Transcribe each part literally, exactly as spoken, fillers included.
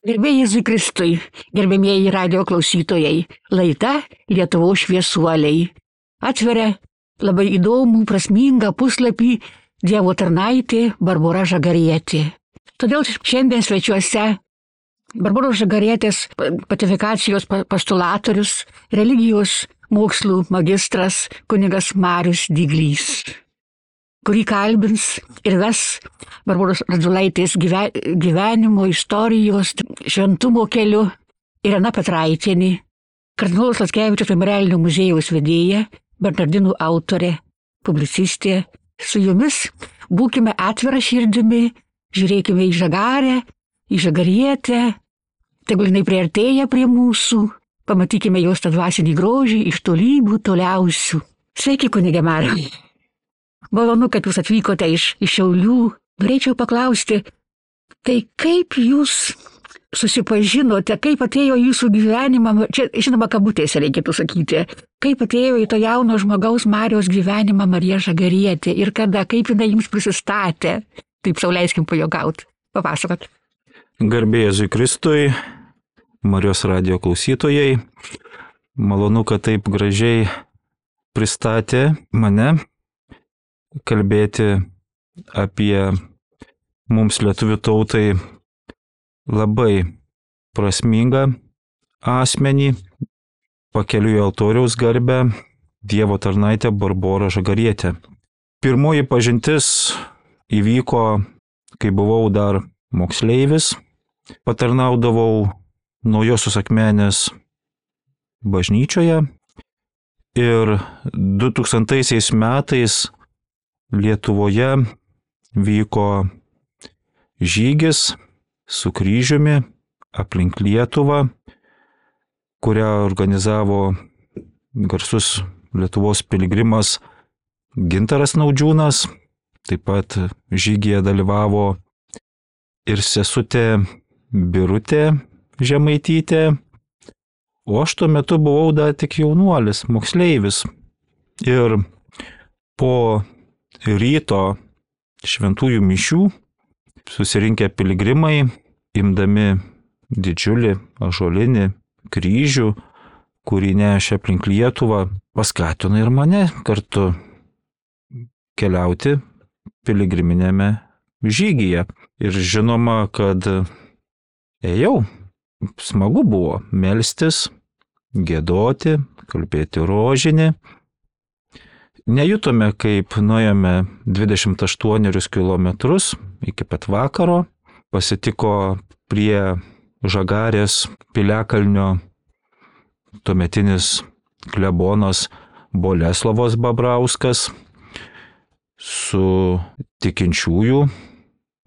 Gerbėjai Jėzui Kristui, gerbėmieji radio klausytojai, laida Lietuvos šviesuoliai atveria labai įdomų, prasmingą puslapį Dievo tarnaitė Barbora Žagarietė. Todėl šiandien svečiuose Barboros Žagarietės patifikacijos postulatorius, religijos mokslų magistras kunigas Marius Dyglys, kurį kalbins ir ves Barboros Radzulaitės gyvenimo, istorijos, šventumo keliu Irena Petraitienė, kardinolas Lackevičiaus memorialinio muziejaus vedėja, Bernardinų autorė, publicistė. Su jumis būkime atvira širdimi, žiūrėkime į Žagarę, į Žagarietę, tegul jinai priartėja prie mūsų, pamatykime jos tą dvasinį grožį iš tolybų toliausių. Sveiki, kunige Mariau. Malonu, kad jūs atvykote iš, iš Šiaulių. Norėčiau paklausti, tai kaip jūs susipažinote, kaip atėjo jūsų gyvenimą, čia žinoma kabutėse reikėtų sakyti, kaip atėjo į to jauno žmogaus Mariaus gyvenimą Marija Žagarietė ir kada, kaip jinai jums prisistatė, taip sau leiskim pajuokauti. Papasakot. Garbė Jėzui Kristui, Marijos radijo klausytojai, malonu, kad taip gražiai pristatė mane kalbėti apie mums lietuvių tautai labai prasmingą asmenį, pakeliui į altoriaus garbę, Dievo tarnaitę Barborą Žagarietę. Pirmoji pažintis įvyko, kai buvau dar moksleivis, patarnaudavau Naujosios Akmenės bažnyčioje ir du tūkstantaisiais metais Lietuvoje vyko žygis su kryžiumi aplink Lietuvą, kurią organizavo garsus Lietuvos piligrimas Gintaras Naudžiūnas. Taip pat žygyje dalyvavo ir sesutė Birutė Žemaitytė, o aš tuo metu buvau dar tik jaunuolis, moksleivis. Ir po ryto šventųjų mišių susirinkę piligrimai, imdami didžiulį ąžuolinį kryžių, kurį nešė aplink Lietuvą, paskatino ir mane kartu keliauti piligriminėme žygyje. Ir žinoma, kad ėjau, smagu buvo melstis, giedoti, kalbėti rožinį. Nejutome, kaip nuėjome dvidešimt aštuonis kilometrus iki pat vakaro, pasitiko prie Žagarės piliakalnio tuometinis klebonas Boleslovas Babrauskas su tikinčiųjų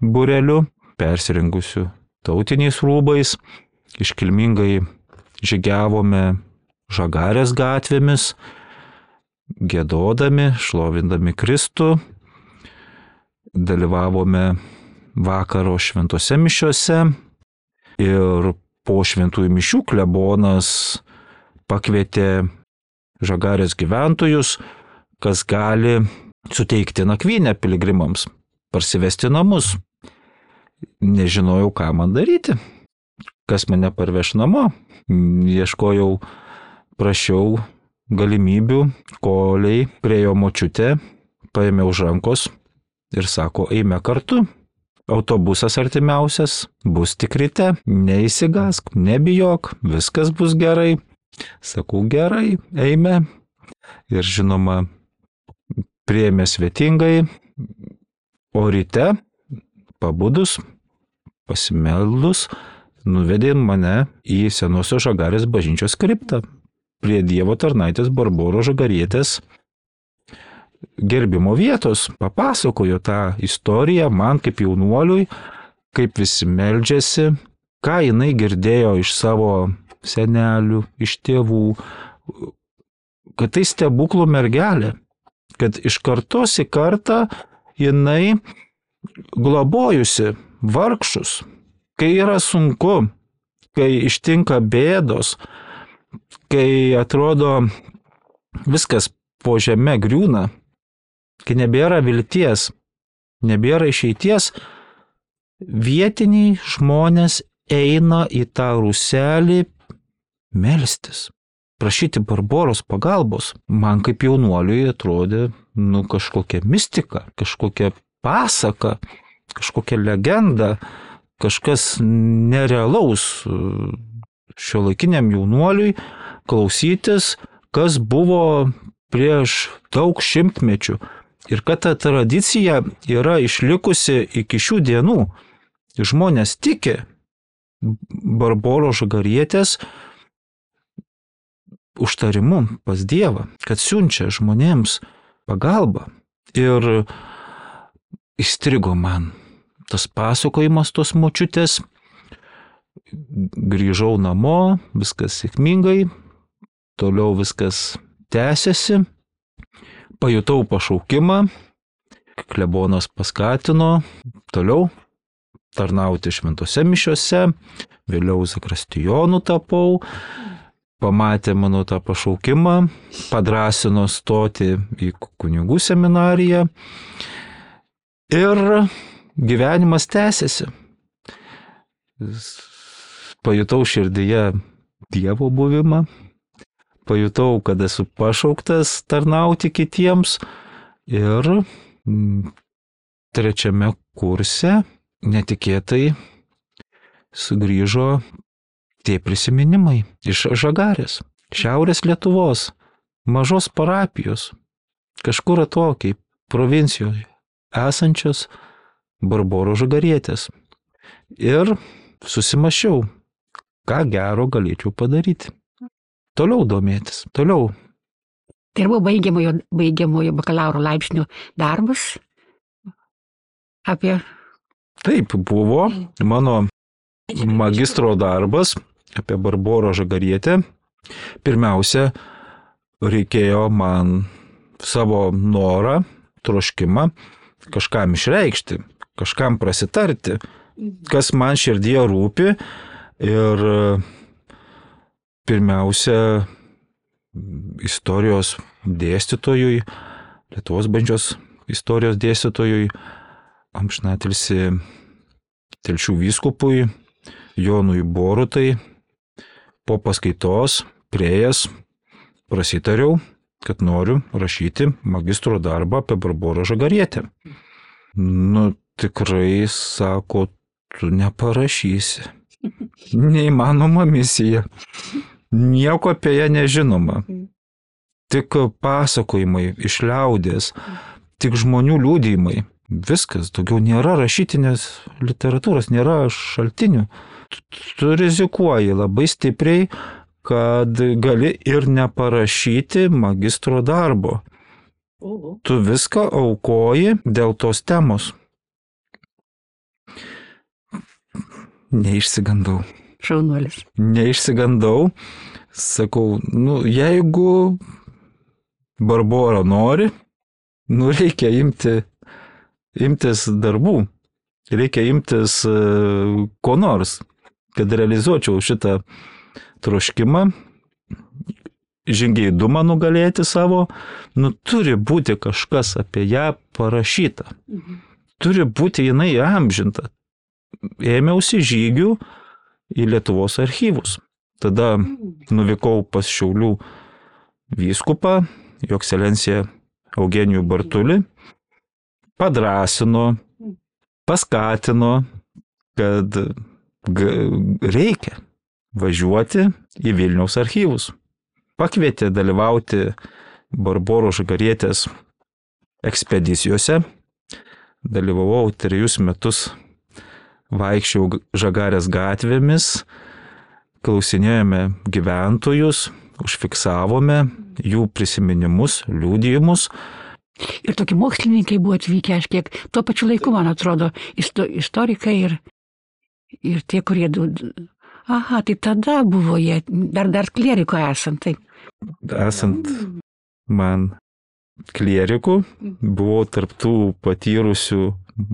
būreliu, persirengusiu tautiniais rūbais, iškilmingai žygiavome Žagarės gatvėmis, giedodami, šlovindami Kristų, dalyvavome vakaro šventose mišiose ir po šventųjų mišių klebonas pakvietė Žagarės gyventojus, kas gali suteikti nakvynę piligrimams, parsivesti namus. Nežinojau, ką man daryti, kas mane parveš namo. Ieškojau, prašiau galimybių, koliai priejo močiutė, paėmė už rankos ir sako, eime kartu. Autobusas artimiausias, bus tik ryte, neįsigask, nebijok, viskas bus gerai. Sakau, gerai, eime. Ir žinoma, priėmė svetingai, o ryte, pabudus, pasimeldus, nuvedė mane į senosios Žagarės bažnyčios kriptą prie Dievo tarnaitės Barboros Žagarietės gerbimo vietos. Papasakojo tą istoriją man kaip jaunuoliui, kaip visi meldžiasi, ką jinai girdėjo iš savo senelių, iš tėvų, kad tai stebuklų mergelė, kad iš kartos į kartą jinai globojusi vargšus, kai yra sunku, kai ištinka bėdos, kai atrodo viskas po žeme griūna, kai nebėra vilties, nebėra išeities, vietiniai žmonės eina į tą rūselį melstis, prašyti Barboros pagalbos. Man kaip jaunuoliui atrodė, nu, kažkokia mistika, kažkokia pasaka, kažkokia legenda, kažkas nerealaus šiuolaikiniam jaunuoliui klausytis, kas buvo prieš daug šimtmečių. Ir kad ta tradicija yra išlikusi iki šių dienų. Žmonės tiki Barboros Žagarietės užtarimu pas Dievą, kad siunčia žmonėms pagalbą. Ir įstrigo man tas pasakojimas tos močiutės. Grįžau namo, viskas sėkmingai, toliau viskas tęsiasi. Pajutau pašaukimą, klebonas paskatino toliau tarnauti šventose mišiose, vėliau zakrastijonu tapau, pamatė mano tą pašaukimą, padrąsino stoti į kunigų seminariją ir gyvenimas tęsiasi. Pajutau širdyje Dievo buvimą, pajutau, kad esu pašauktas tarnauti kitiems ir trečiame kurse netikėtai sugrįžo tie prisiminimai iš Žagarės, Šiaurės Lietuvos, mažos parapijos, kažkur atokiai provincijoje esančios Barboros Žagarietės. Ir susimašiau, ką gero galėčiau padaryti. Toliau domėtis, toliau. Tai buvo baigiamojo, baigiamojo bakalauro laipsnio darbas apie... Taip, buvo mano magistro darbas apie Barborą Žagarietę. Pirmiausia, reikėjo man savo norą, troškimą kažkam išreikšti, kažkam prasitarti, kas man širdyje rūpi. Ir pirmiausia, istorijos dėstytojui, Lietuvos bažnyčios istorijos dėstytojui, amžinatilsį Telšių vyskupui Jonui Borutai, po paskaitos priėjęs prasitariau, kad noriu rašyti magistro darbą apie Barborą Žagarietę. Nu, tikrai, sako, tu neparašysi. Neįmanoma misija. Nieko apie ją nežinoma. Tik pasakojimai iš liaudės, tik žmonių liudijimai. Viskas, daugiau nėra rašytinės literatūros, nėra šaltinių. Tu rizikuoji labai stipriai, kad gali ir neparašyti magistro darbo. Tu viską aukoji dėl tos temos. Neišsigandau. Šaunuolis. Neišsigandau. Sakau, nu, jeigu Barbora nori, nu, reikia imti, imtis darbų. Reikia imtis uh, ko nors, kad realizuočiau šitą troškimą, žingeidumą nugalėti savo. Nu, turi būti kažkas apie ją parašyta. Mhm. Turi būti jinai amžinta. Ėmiausi žygių į Lietuvos archyvus. Tada nuvykau pas Šiaulių vyskupą, jo ekscelencija Eugenijų Bartulį, padrąsino, paskatino, kad reikia važiuoti į Vilniaus archyvus. Pakvietė dalyvauti Barboros Žagarietės ekspedicijose. Dalyvavau trejus metus, vaikščiau Žagarės gatvėmis, klausinėjome gyventojus, užfiksavome jų prisiminimus, liudijimus. Ir tokie mokslininkai buvo atvykę, aš kiek tuo pačiu laiku, man atrodo, istorikai ir, ir tie, kurie... Aha, tai tada buvo jie, dar, dar klieriko esant, taip. Esant man klierikų, buvau tarptų patyrusių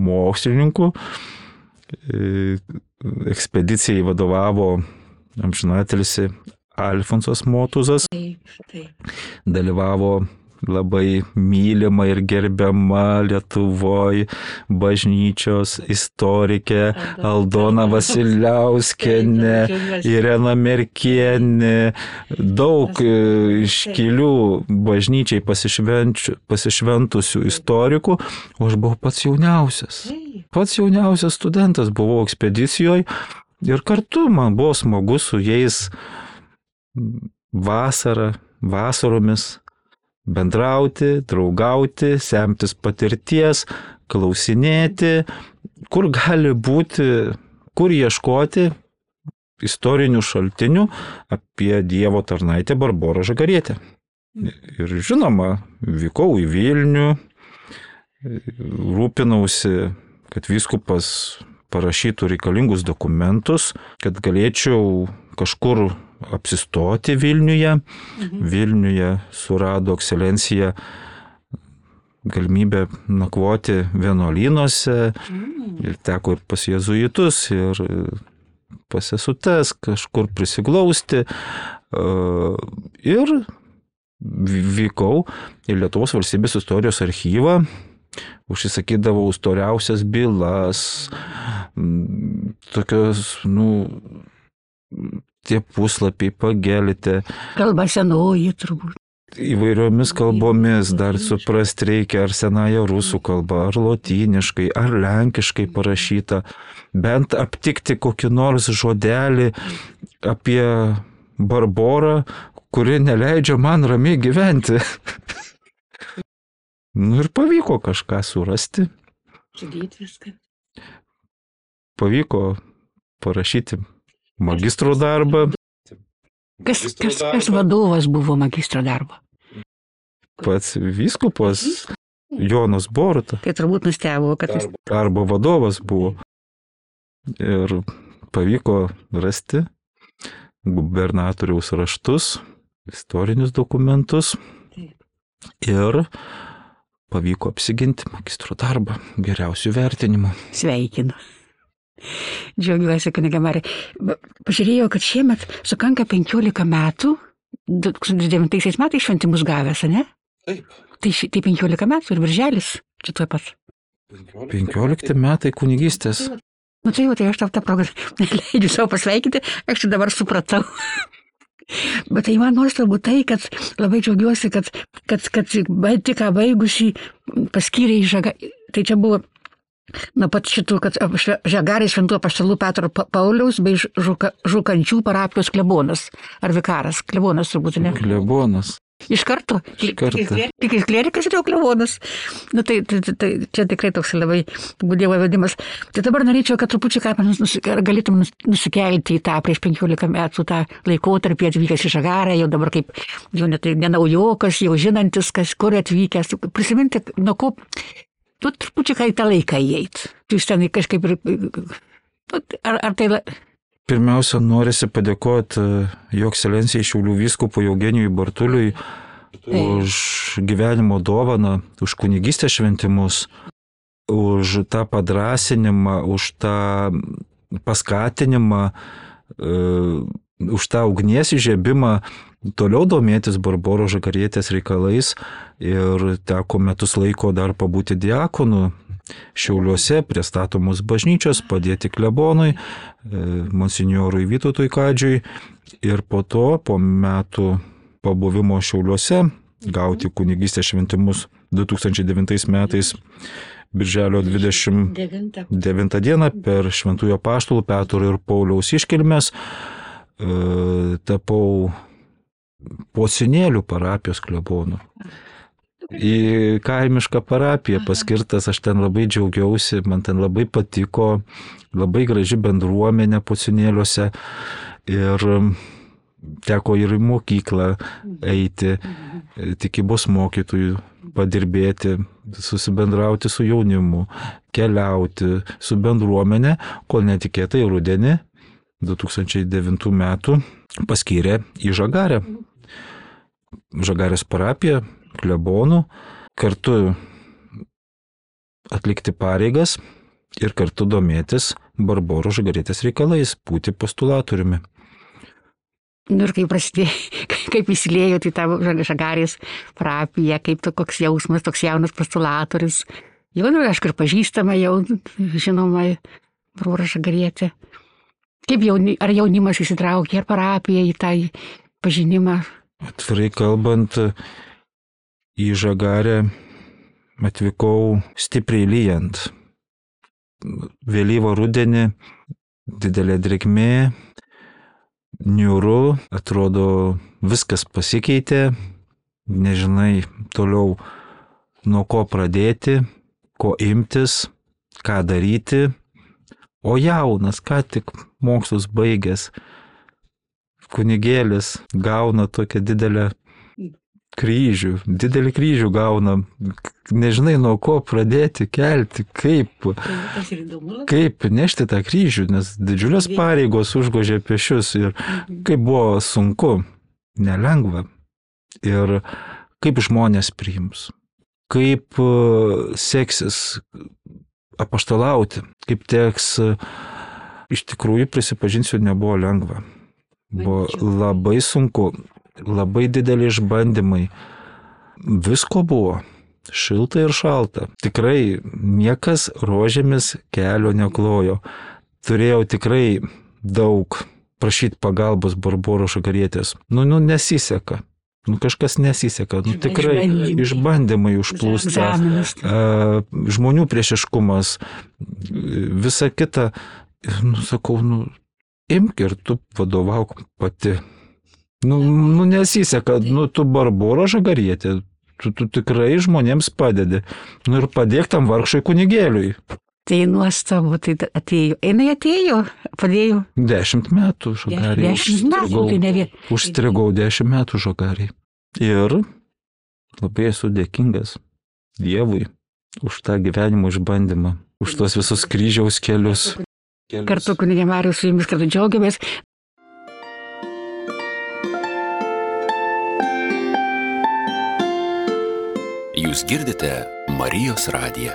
mokslininkų. Ekspedicijai vadovavo amžinatilsį Alfonsas Motuzas. Dalyvavo labai mylima ir gerbiama Lietuvoje bažnyčios istorikė Aldona Vasiliauskienė, Irena Merkienė, daug iškilių bažnyčiai pasišventusių istorikų, o aš buvau pats jauniausias. Pats jauniausias studentas, buvau ekspedicijoje ir kartu man buvo smagu su jais vasarą, vasaromis bendrauti, draugauti, semtis patirties, klausinėti, kur gali būti, kur ieškoti istorinių šaltinių apie Dievo tarnaitę Barborą Žagarietę. Ir žinoma, vykau į Vilnių, rūpinausi, kad vyskupas parašytų reikalingus dokumentus, kad galėčiau kažkur apsistoti Vilniuje. Mhm. Vilniuje surado ekscelencija galimybę nakvoti vienuolynuose. Mhm. Ir teko ir pas jėzuitus, ir pas sesutes kažkur prisiglausti. Ir vykau į Lietuvos valstybės istorijos archyvą, užsisakydavau storiausias bylas, tokios, nu, tie puslapiai pagelite. Kalba senoji turbūt. Įvairiomis kalbomis dar suprasti reikia, ar senąją rusų kalbą, ar lotyniškai, ar lenkiškai parašyta. Bent aptikti kokį nors žodelį apie Barborą, kuri neleidžia man ramiai gyventi. Nu ir pavyko kažką surasti. Sudėti viską. Pavyko parašyti magistro darbą. Kas, kas, kas vadovas buvo magistro darbo? Pats vyskupas Jonas Boruta. Tai turbūt nustebo, kad jis... Arba vadovas buvo. Ir pavyko rasti gubernatoriaus raštus, istorinius dokumentus. Ir pavyko apsiginti magistro darbą geriausių vertinimų. Sveikinu. Džiaugiuosi, kuniga Marija. Pažiūrėjau, kad šiemet sukanka penkiolika metų, du tūkstančiai devintaisiais metais šventimus gavęs, ne? Taip. Tai, tai penkiolika metų ir birželis, čia tuo pat. penkiolikti metai kunigystės. Nu tai jau, tai aš tau tą progą leidžiu savo pasveikinti, aš tai dabar supratau. Bet tai man nuostabu tai, kad labai džiaugiuosi, kad, kad, kad tik ką baigusi paskyrė į Žaga. Tai čia buvo nuo pat šitų, kad Žagarės šventų apaštalų Petro Pauliaus bei Žuka, Žukančių parapijos klebonas. Ar vikaras? Klebonas turbūt, ne? Klebonas. Iš karto? Iš karto. Tik iš klerikas ir jau klebonas. Nu tai, tai, tai čia tikrai toks labai Dievo vedimas. Tai dabar norėčiau, kad trupučiu ką galėtum nusikelti į tą prieš penkiolika metų tą laikotarpį atvykęs į Žagarę, jau dabar kaip jau net ne naujokas, jau žinantis, kas kur atvykęs. Prisiminti, nuo ko... Tu trupučiu ką į tą laiką įeit. Tu ten kažkaip ir... Ar, ar tai... Pirmiausia, norisi padėkoti Jo ekscelencijai Šiaulių vyskupui Eugenijui Bartuliui už gyvenimo dovaną, už kunigystės šventimus, už tą padrasinimą, už tą paskatinimą, už tą ugnies įžiebimą toliau domėtis Barboros Žagarietės reikalais ir teko metus laiko dar pabūti diakonu Šiauliuose prie statomos bažnyčios, padėti klebonui, monsinjorui Vytautui Kadžiui ir po to, po metų pabuvimo Šiauliuose, gauti kunigystės šventimus du tūkstančiai devintais metais birželio dvidešimt devintą dieną per Šventųjų apaštalų Petro ir Pauliaus iškilmes tapau Pocinėlių parapijos klebonu. Į kaimišką parapiją paskirtas, aš ten labai džiaugiausi, man ten labai patiko, labai graži bendruomenė Pocinėliuose ir teko ir į mokyklą eiti, tikybos mokytojų padirbėti, susibendrauti su jaunimu, keliauti su bendruomenė, kol netikėtai rudenį du tūkstančiai devintų metų paskyrė į Žagarę. Žagarės parapiją, klebonų, kartu atlikti pareigas ir kartu domėtis Barboros Žagarietės reikalais, būti postulatoriumi. Nu ir kai prasidėjo, kai kaip įsilėjo į tą Žagarės parapiją, kaip to, koks jausmas, toks jaunas postulatorius. Jau, nu, aišku, ir pažįstama jau, žinoma, brora Žagarietė. Kaip jauni, ar jaunimas įsitraukė, ar parapija į tą pažinimą? Atvirai kalbant, į Žagarę atvykau stipriai lyjant. Vėlyvą rudenį, didelė drėgmė, niūru, atrodo viskas pasikeitė, nežinai toliau nuo ko pradėti, ko imtis, ką daryti, o jaunas, ką tik mokslus baigęs, kunigėlis gauna tokią didelę kryžių, didelį kryžių gauna, nežinai nuo ko pradėti kelti, kaip, kaip nešti tą kryžių, nes didžiulės pareigos užgožė pešius ir kaip buvo sunku, nelengva ir kaip žmonės priims, kaip seksis apaštalauti, kaip teks, iš tikrųjų prisipažinsiu, nebuvo lengva, buvo labai sunku. Labai dideli išbandymai. Visko buvo. Šilta ir šalta. Tikrai niekas rožėmis kelio neklojo. Turėjau tikrai daug prašyti pagalbos Barboros Žagarietės. Nu, nu, nesiseka. Nu, kažkas nesiseka. Nu, tikrai išbandymai užplūsta. Žmonių priešiškumas. Visa kita. Nu, sakau, nu, imk ir tu vadovauk pati. Nu, nu nesiseka, nu tu Barbora Žagarietė, tu, tu tikrai žmonėms padedi. Nu ir padėk tam vargšai kunigėliui. Tai nuostabu, tai atėjo. Einai atėjo, padėjo. Dešimt metų Žagariai. Dešimt metų, tai ne vien. Užstrigau dešimt metų Žagariai. Ir labai esu dėkingas Dievui už tą gyvenimo išbandymą, už tos visus kryžiaus kelius. kelius. Kartu kunigė Marijus su jumis kartu džiaugiamės. Jūs girdite Marijos radiją.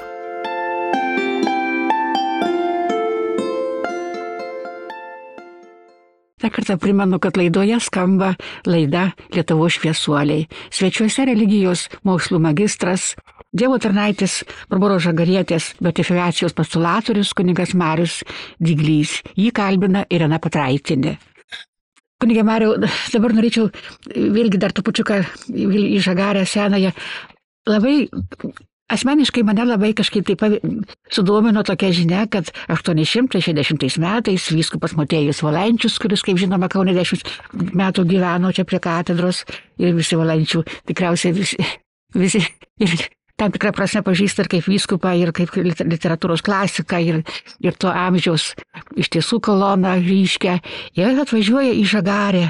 Dar kartą primenu, kad laidoje skamba laida Lietuvos šviesuoliai. Svečiuose religijos mokslų magistras, Dievo tarnaitis Barboros Žagarietės beatifikacijos postulatorius kunigas Marius Dyglys. Jį kalbina Irena Petraitinė. Kunigė Mariau, dabar norėčiau vėlgi dar trupučiuką į Žagarę senąją. Labai, asmeniškai mane labai kažkaip taip sudomino tokia žinia, kad aštuoni šimtai šešiasdešimtais metais vyskupas Motiejus Valančius, kuris, kaip žinoma, Kaune dešimt metų gyveno čia prie katedros ir visi Valančių, tikriausiai visi, visi ir tam tikrą prasme pažįsta ir kaip vyskupą, ir kaip literatūros klasiką, ir, ir to amžiaus iš tiesų koloną ryškę. Jie atvažiuoja į Žagarę,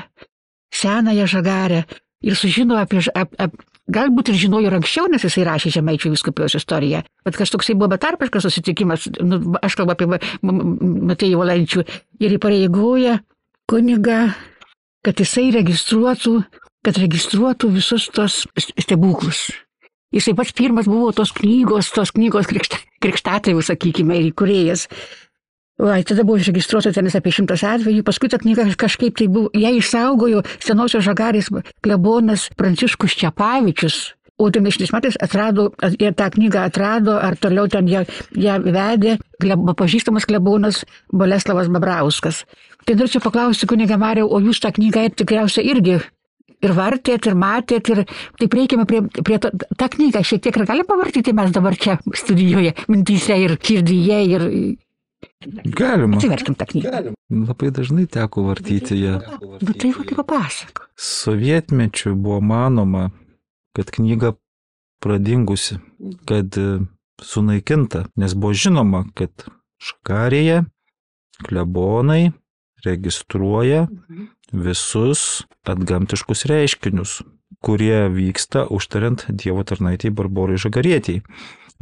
senąją Žagarę ir sužino apie... Ap, ap, Galbūt ir žinojo ir anksčiau, nes jisai rašė Žemaičių vyskupijos istoriją. Bet kažtoksai buvo betarpiškas susitikimas, nu, aš kalbu apie Motiejų Valančių, ir įpareigoja kunigą, kad jisai registruotų, kad registruotų visus tos stebuklus. Jisai pats pirmas buvo tos knygos, tos knygos krikšta, krikštatėvių, sakykime, ir įkūrėjas. Va, tada buvo išregistruota tenis apie šimtas atvejų, paskui ta knyga kažkaip tai buvo, ją išsaugojo senosios Žagarės klebonas Pranciškus Čepavičius, o devyniasdešimtais metais atrado, jie tą knygą atrado, ar toliau ten ją, ją vedė klebo, pažįstamas klebonas Boleslavas Babrauskas. Tai norėčiau paklausti, kunigė Mariau, o jūs tą knygą tikriausiai irgi ir vartėt, ir matėt, ir taip reikime prie, prie to, tą knygą šiek tiek ir galim pavartyti mes dabar čia studijoje, mintyse ir širdyje, ir... Galima. Atsiverkim tą knygą. Galima. Labai dažnai teko vartyti ją. Nu tai va, tai papasako. Sovietmečiu buvo manoma, kad knyga pradingusi, kad sunaikinta, nes buvo žinoma, kad Žagarėje klebonai registruoja visus atgamtiškus reiškinius, kurie vyksta užtariant Dievo tarnaitei Barborai Žagarietei.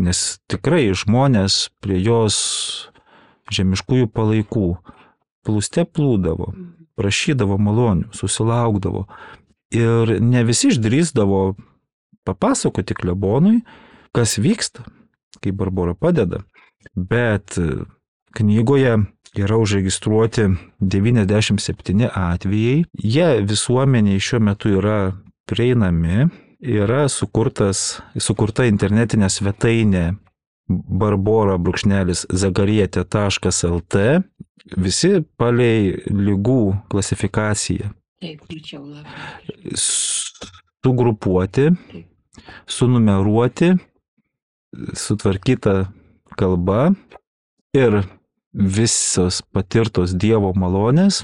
Nes tikrai žmonės prie jos žemiškųjų palaikų plūste plūdavo, prašydavo malonių, susilaukdavo. Ir ne visi išdrįsdavo papasakoti klebonui, kas vyksta, kai Barbora padeda. Bet knygoje yra užregistruoti devyniasdešimt septyni atvejai. Jie visuomeniai šiuo metu yra prieinami. Yra sukurtas, sukurta internetinė svetainė barbora brūkšnelis zagarietė taškas el te. Visi palei lygų klasifikaciją. Taip, mačiau labai. Sugrupuoti, sunumeruoti, sutvarkyta kalba ir visos patirtos Dievo malonės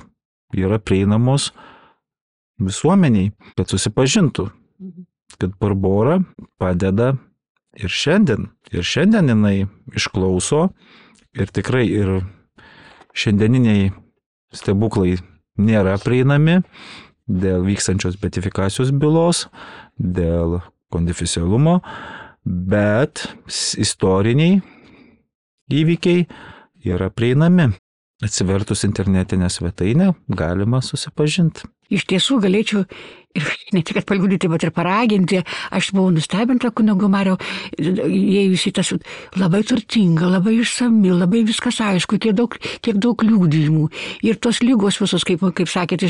yra prieinamos visuomeniai, kad susipažintų, kad Barbora padeda ir šiandien. Ir šiandien jinai išklauso ir tikrai ir šiandieniniai stebuklai nėra prieinami dėl vykstančios beatifikacijos bylos, dėl konfidencialumo, bet istoriniai įvykiai yra prieinami. Atsivertus internetinę svetainę galima susipažinti. Iš tiesų galėčiau ir ne tik paliudyti, bet ir paraginti. Aš buvau nustebinta kunigo Mario, įėjusi tas labai turtinga, labai išsami, labai viskas aišku, tiek daug, tiek daug liudijimų. Ir tos lygos visos, kaip, kaip sakėte,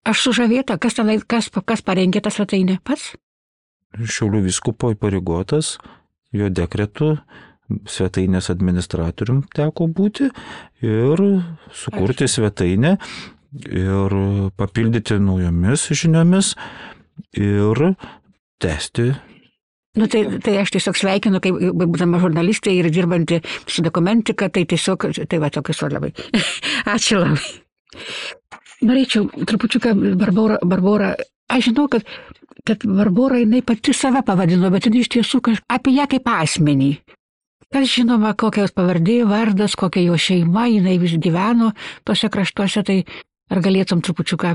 aš sužavėta, kas, tenai, kas, kas parengė tą svetainę pats? Šiaulių vyskupo įpareigotas, jo dekretu svetainės administratorium teko būti ir sukurti svetainę ir papildyti naujomis žiniomis ir tęsti. Nu, tai, tai aš tiesiog sveikinu, kaip būdama žurnalistė ir dirbanti su dokumentika, tai tiesiog, tai va, tokius labai. Ačiū labai. Norėčiau trupučiuką Barbora, Barbora, aš žinau, kad, kad Barbora jinai pati save pavadino, bet jinai iš tiesų apie ją kaip asmenį. Kas žinoma, kokia jos pavardė, vardas, kokia jo šeima, jinai vis gyveno tose kraštuose, tai ar galėtum trupučiuką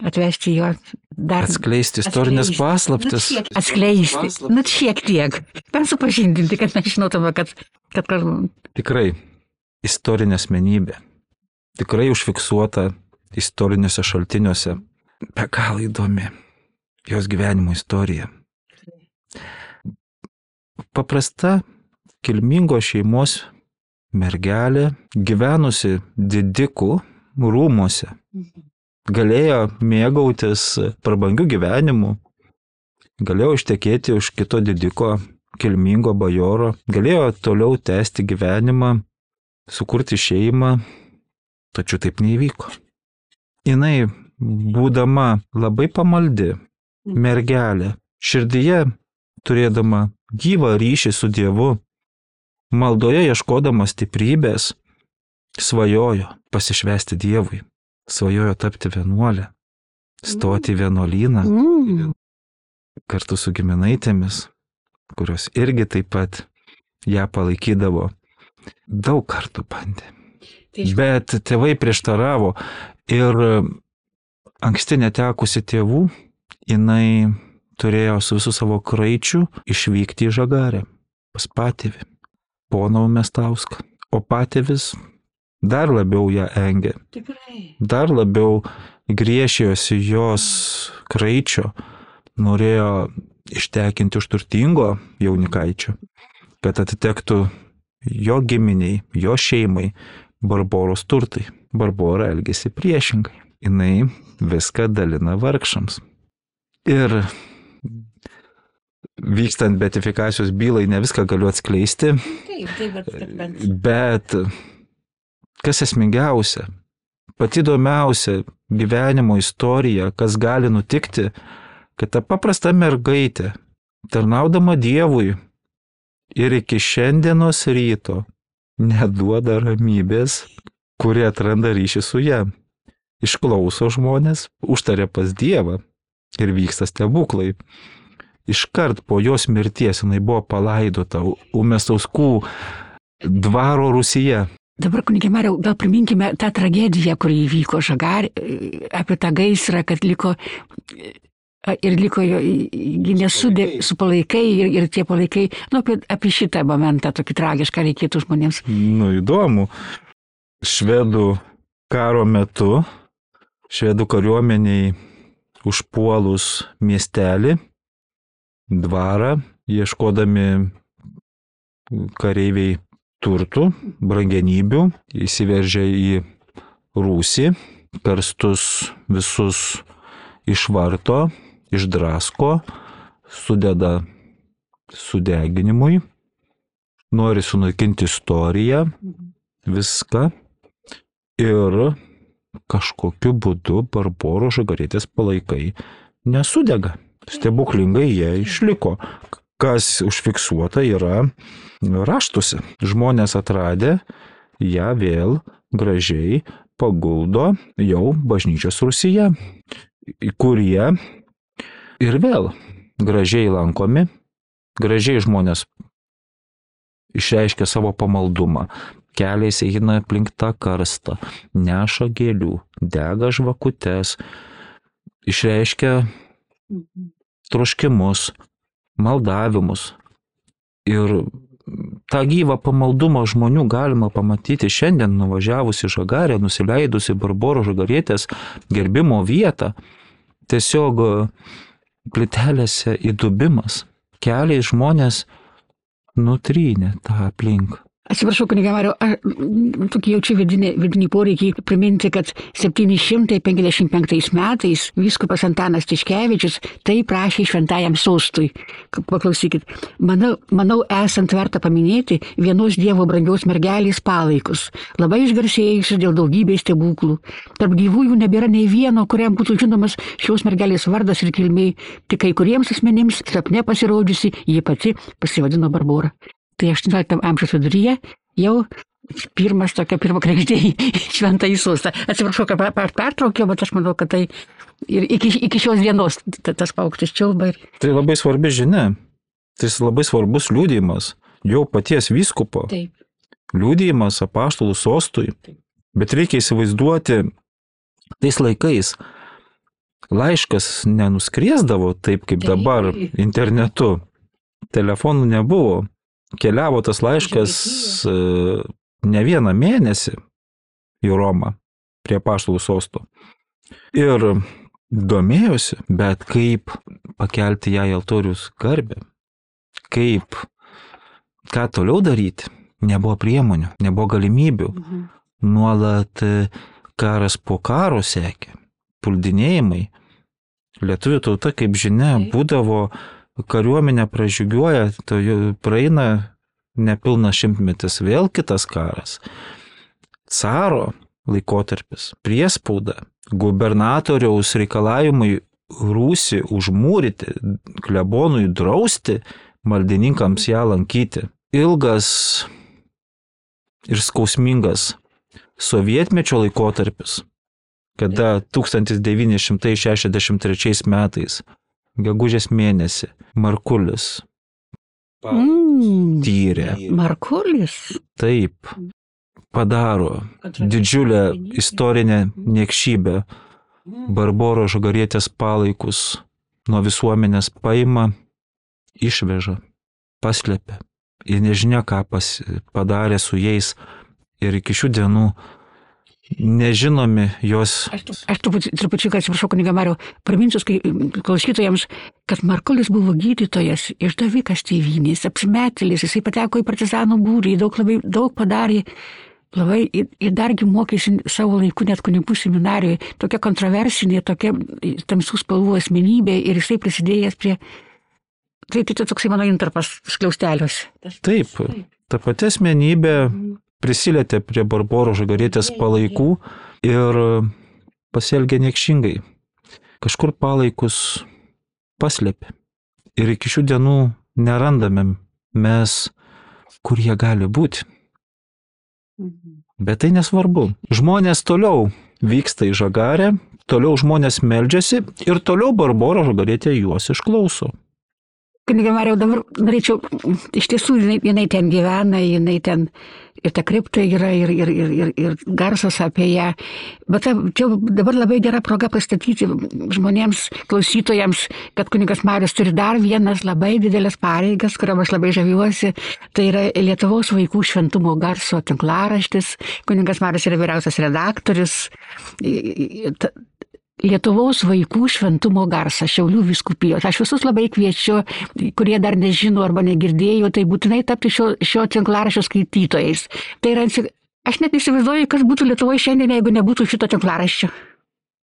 atvesti jo dar... Atskleisti istorinės paslaptis. Nu, atskleisti, nu šiek tiek. Bent supažindinti, kad mes žinotume, kad... kad... Tikrai istorinė asmenybė. Tikrai užfiksuota istoriniuose šaltiniuose. Be galo įdomi jos gyvenimo istorija. Paprasta kilmingos šeimos mergelė, gyvenusi didikų rūmuose, galėjo mėgautis prabangių gyvenimų, galėjo ištekėti už kito didiko kilmingo bajoro, galėjo toliau tęsti gyvenimą, sukurti šeimą, tačiau taip neįvyko. Jinai, būdama labai pamaldi mergelė, širdyje turėdama gyvą ryšį su Dievu, maldoje ieškodama stiprybės, svajojo pasišvęsti Dievui, svajojo tapti vienuolę, stoti į vienuolyną Mm. kartu su giminaitėmis, kurios irgi taip pat ją palaikydavo. Daug kartų bandė. Bet tėvai prieštaravo ir anksti netekusi tėvų, jinai turėjo su visų savo kraičiu išvykti į Žagarę pas patėvį, poną Umestauską. O patėvis dar labiau ją engė. Tikrai. Dar labiau griešėjosi jos kraičio, norėjo ištekinti už turtingo jaunikaičio, kad atitektų jo giminiai, jo šeimai Barboros turtai. Barbora elgėsi priešingai. Jinai viską dalina vargšams. Ir vykstant beatifikacijos bylai ne viską galiu atskleisti, Taip, taip, bet, bet. bet kas esmingiausia, pati įdomiausia gyvenimo istorija, kas gali nutikti, kad ta paprasta mergaitė, tarnaudama Dievui ir iki šiandienos ryto neduoda ramybės, kurie atranda ryšį su ją. Išklauso žmonės, užtaria pas Dievą ir vyksta stebuklai. Iškart po jos mirties jinai buvo palaidota Umestauskų dvaro rūsyje. Dabar, kunigė Mariau, gal priminkime tą tragediją, kuri įvyko Žagarė, apie tą gaisrą, kad liko ir liko jo, nesudė su palaikai ir, ir tie palaikai, nu, apie, apie šitą momentą tokį tragišką reikėtų žmonėms. Nu, įdomu. Švedų karo metu, švedų kariuomeniai užpuolus miestelį, dvarą, ieškodami kareiviai turtų, brangenybių, įsiveržia į Rūsį, karstus visus išvarto, išdrasko, sudeda sudeginimui, nori sunaikinti istoriją, viską ir kažkokiu būdu Barboros Žagarietės palaikai nesudega. Stebuklingai jie išliko. Kas užfiksuota yra raštuose. Žmonės atradę ją vėl gražiai paguldo jau bažnyčios rūsyje, kurie ir vėl gražiai lankomi, gražiai žmonės išreiškia savo pamaldumą, keliais eina aplink tą karstą, neša gėlių, dega žvakutes, išreiškia troškimus, maldavimus. Ir tą gyvą pamaldumą žmonių galima pamatyti šiandien nuvažiavus į Žagarę, nusileidus į Barboros Žagarietės gerbimo vietą. Tiesiog plytelėse įdubimas. Keliai žmonės nutrynė tą aplink. Atsiprašau, kuniga Mariau, tokį jaučiu vidinį, vidinį poreikį priminti, kad septyni šimtai penkiasdešimt penktais metais vyskupas Antanas Tiškevičius tai prašė šventajam sostui. Paklausykit, manau, manau esant verta paminėti vienos Dievo brangios mergelės palaikus, labai išgarsėjusius dėl daugybės stebuklų. Tarp gyvųjų nebėra nei vieno, kuriam būtų žinomas šios mergelės vardas ir kilmė, tik kai kuriems asmenims sapne pasirodžiusi, ji pati pasivadino Barbora. Tai aštuonioliktam amžiaus viduryje jau pirmas tokia pirma kregždė į šventąjį sostą. Atsiprašau, kad pertraukiau, bet aš manau, kad tai ir iki, iki šios dienos tas paukštis čiulba. Ir... Tai labai svarbi žinia. Tai labai svarbus liudijimas jau paties vyskupo. Taip. Liudijimas apaštalų sostui. Taip. Bet reikia įsivaizduoti, tais laikais laiškas nenuskriesdavo taip, kaip Taip. Dabar internetu. Telefonų nebuvo. Keliavo tas laiškas ne vieną mėnesį į Romą prie apaštalų sosto. Ir domėjosi, bet kaip pakelti ją į altorius garbę, kaip, ką toliau daryti, nebuvo priemonių, nebuvo galimybių. Mhm. Nuolat karas po karo sekė, puldinėjimai. Lietuvių tauta, kaip žinia, būdavo kariuomenė pražygiuoja, to praeina nepilnas šimtmetis, vėl kitas karas. Caro laikotarpis, priespauda, gubernatoriaus reikalavimai Rūsį užmūryti, klebonui drausti, maldininkams ją lankyti. Ilgas ir skausmingas sovietmečio laikotarpis, kada tūkstantis devyni šimtai šešiasdešimt trečiais metais gegužės mėnesį Markulis mm, tyrė. Markulis? Taip, padaro didžiulę istorinę niekšybę. Barboros Žagarietės palaikus nuo visuomenės paima, išveža, paslepia. Ir nežinia, ką pas, padarė su jais. Ir iki šių dienų nežinomi jos. Aš, aš trupučiuką atsiprašau, kuniga Mariau, priminsiu klausytojams, kad Markulis buvo gydytojas, išdavikas tėvynės, apsimetėlis, jisai pateko į partizanų būrį, daug, labai, daug padarė, labai, ir dargi mokėsi savo laiku net kunigų seminarijoje, tokia kontroversinė, tokia tamsių spalvų asmenybė ir jisai prisidėjęs prie. Tai tai toksai mano intarpas skliausteliuose. Taip, ta pati asmenybė prisilietė prie Barboros Žagarietės palaikų ir pasielgė niekšingai. Kažkur palaikus paslėpė. Ir iki šių dienų nerandame mes, kur jie gali būti. Bet tai nesvarbu. Žmonės toliau vyksta į Žagarę, toliau žmonės meldžiasi ir toliau Barbora Žagarietė juos išklauso. Kuniga Mariau, dabar norėčiau, iš tiesų jinai, jinai ten gyvena, jinai ten ir ta kripta yra, ir, ir, ir, ir, ir garsas apie ją. Bet ta, čia dabar labai gera proga pristatyti žmonėms, klausytojams, kad kunigas Marius turi dar vienas labai didelės pareigas, kuriam aš labai žaviuosi. Tai yra Lietuvos vaikų šventumo garso tinklaraštis. Kunigas Marius yra vyriausias redaktorius. Lietuvos vaikų šventumo garsą Šiaulių vyskupijos. Aš visus labai kviečiu, kurie dar nežino arba negirdėjo, tai būtinai tapti šio, šio tinklaraščio skaitytojais. Tai yra, aš net įsivaizduoju, kas būtų Lietuvoje šiandien, jeigu nebūtų šito tinklaraščio.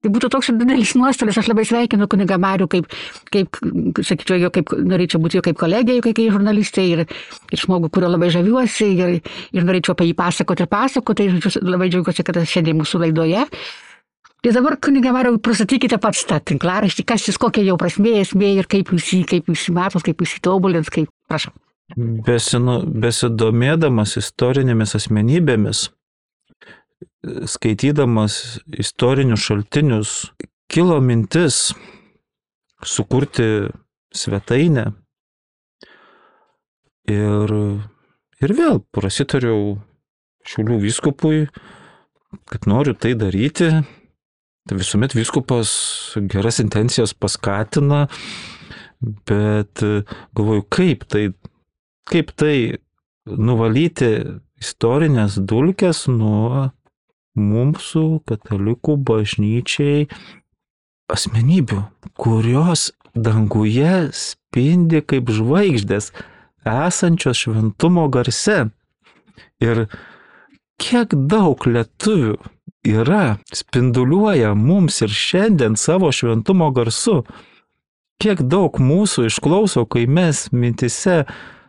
Tai būtų toks didelis nuostolis. Aš labai sveikinu kunigą Marių, kaip, kaip sakyčiau, jo, kaip norėčiau būti jo kaip kolegė, kai kai žurnalistai ir, ir žmogų, kurio labai žaviuosi ir, ir norėčiau apie jį pasakoti ir pasakoti. Tai labai džiaugiuosi, kad šiandien mūsų laidoje. Tai dabar, kunigą Mariau, pristatykite pats tą tinklaraštį, kas jis, kokia jau prasmė, esmė ir kaip jūs jį, kaip jūs jį matot, kaip jūs jį tobulins, kaip, prašau. Besinu, besidomėdamas istorinėmis asmenybėmis, skaitydamas istorinius šaltinius, kilo mintis sukurti svetainę ir, ir vėl prasitariau Šiaulių vyskupui, kad noriu tai daryti. Tai visuomet vyskupas geras intencijas paskatina, bet galvoju, kaip tai, kaip tai nuvalyti istorinės dulkes nuo mūsų katalikų bažnyčiai asmenybių, kurios danguje spindi kaip žvaigždės, esančios šventumo garse. Ir kiek daug lietuvių yra, spinduliuoja mums ir šiandien savo šventumo garsu. Kiek daug mūsų išklauso, kai mes mintise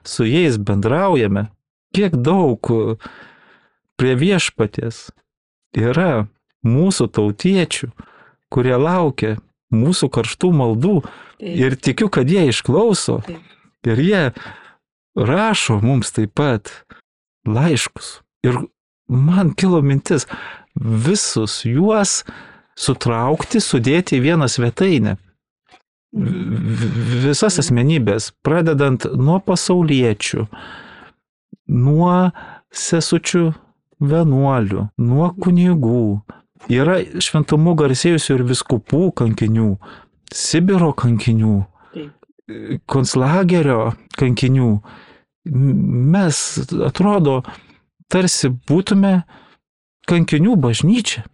su jais bendraujame. Kiek daug prie viešpaties yra mūsų tautiečių, kurie laukia mūsų karštų maldų. Ir tikiu, kad jie išklauso. Ir jie rašo mums taip pat laiškus. Ir man kilo mintis visus juos sutraukti, sudėti į vieną svetainę. Visas asmenybės, pradedant nuo pasauliečių, nuo sesučių vienuolių, nuo kunigų. Yra šventumu garsėjusių ir vyskupų kankinių, Sibiro kankinių, konclagerio kankinių. Mes, atrodo, tarsi būtume kankinių bažnyčia.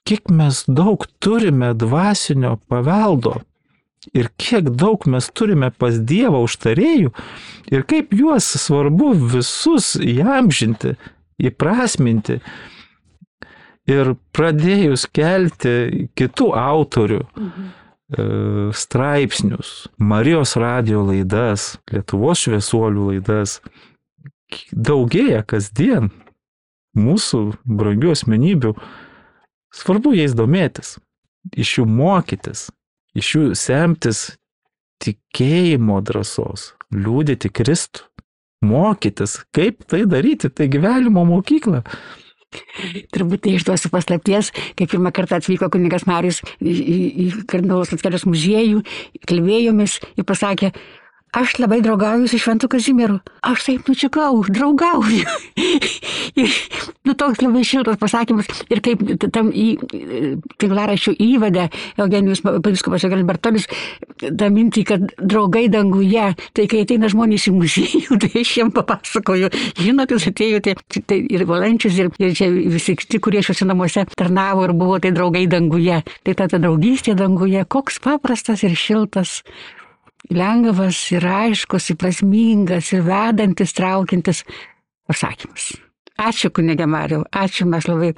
Kiek mes daug turime dvasinio paveldo ir kiek daug mes turime pas Dievą užtarėjų ir kaip juos svarbu visus įamžinti, įprasminti. Ir pradėjus kelti kitų autorių mhm. straipsnius, Marijos radijo laidas, Lietuvos šviesuolių laidas, daugėja kasdien mūsų brangių asmenybių. Svarbu jais domėtis, iš jų mokytis, iš jų semtis tikėjimo drąsos, liudyti Kristų, mokytis, kaip tai daryti, tai gyvenimo mokykla. Turbūt tai išduosiu paslapties, kai pirmą kartą atvyko kunigas Marijus į, į, į Kardinolos Mackevičiaus muziejų, kalbėjomės ir pasakė, aš labai draugauju su Šventu Kazimieru. Aš taip nučiukau, draugauju. Ir, nu, toks labai šiltas pasakymas. Ir kaip tam į tinklaraščių įvadę Eugenijus vyskupas Eugenijus Bartonis tą mintį, kad draugai danguje, tai kai ateina žmonės į muziejų, tai aš jiems papasakoju. Žinot, jūs atėjote, tai ir Valančius, ir, ir čia visi kiti, kurie šiuose namuose tarnavo ir buvo, tai draugai danguje. Tai ta, ta draugystė danguje, koks paprastas ir šiltas, lengvas ir aiškus, ir prasmingas, ir vedantis, traukintis pasakymas. Ačiū, kunige Mariau, ačiū, mes labai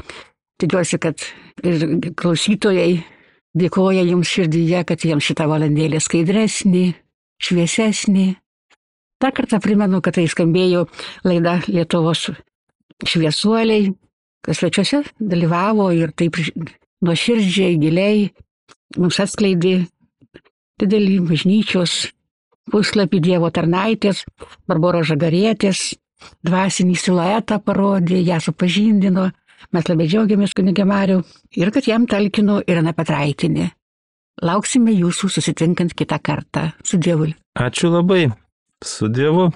tikiuosi, kad ir klausytojai dėkoja jums širdyje, kad jiems šitą valandėlę skaidresnį, šviesesnį. Dar kartą primenu, kad tai skambėjo laida Lietuvos šviesuoliai, kas svečiuose dalyvavo ir taip nuoširdžiai, giliai mums atskleidė didelį bažnyčios puslapį Dievo tarnaitės, Barboros Žagarietės, dvasinį siluetą parodė, ją supažindino. Mes labai džiaugiamės, kunige Mariau, ir kad jam talkino Irena Petraitinė. Lauksime jūsų susitinkant kitą kartą. Su Dievu. Ačiū labai. Su Dievu.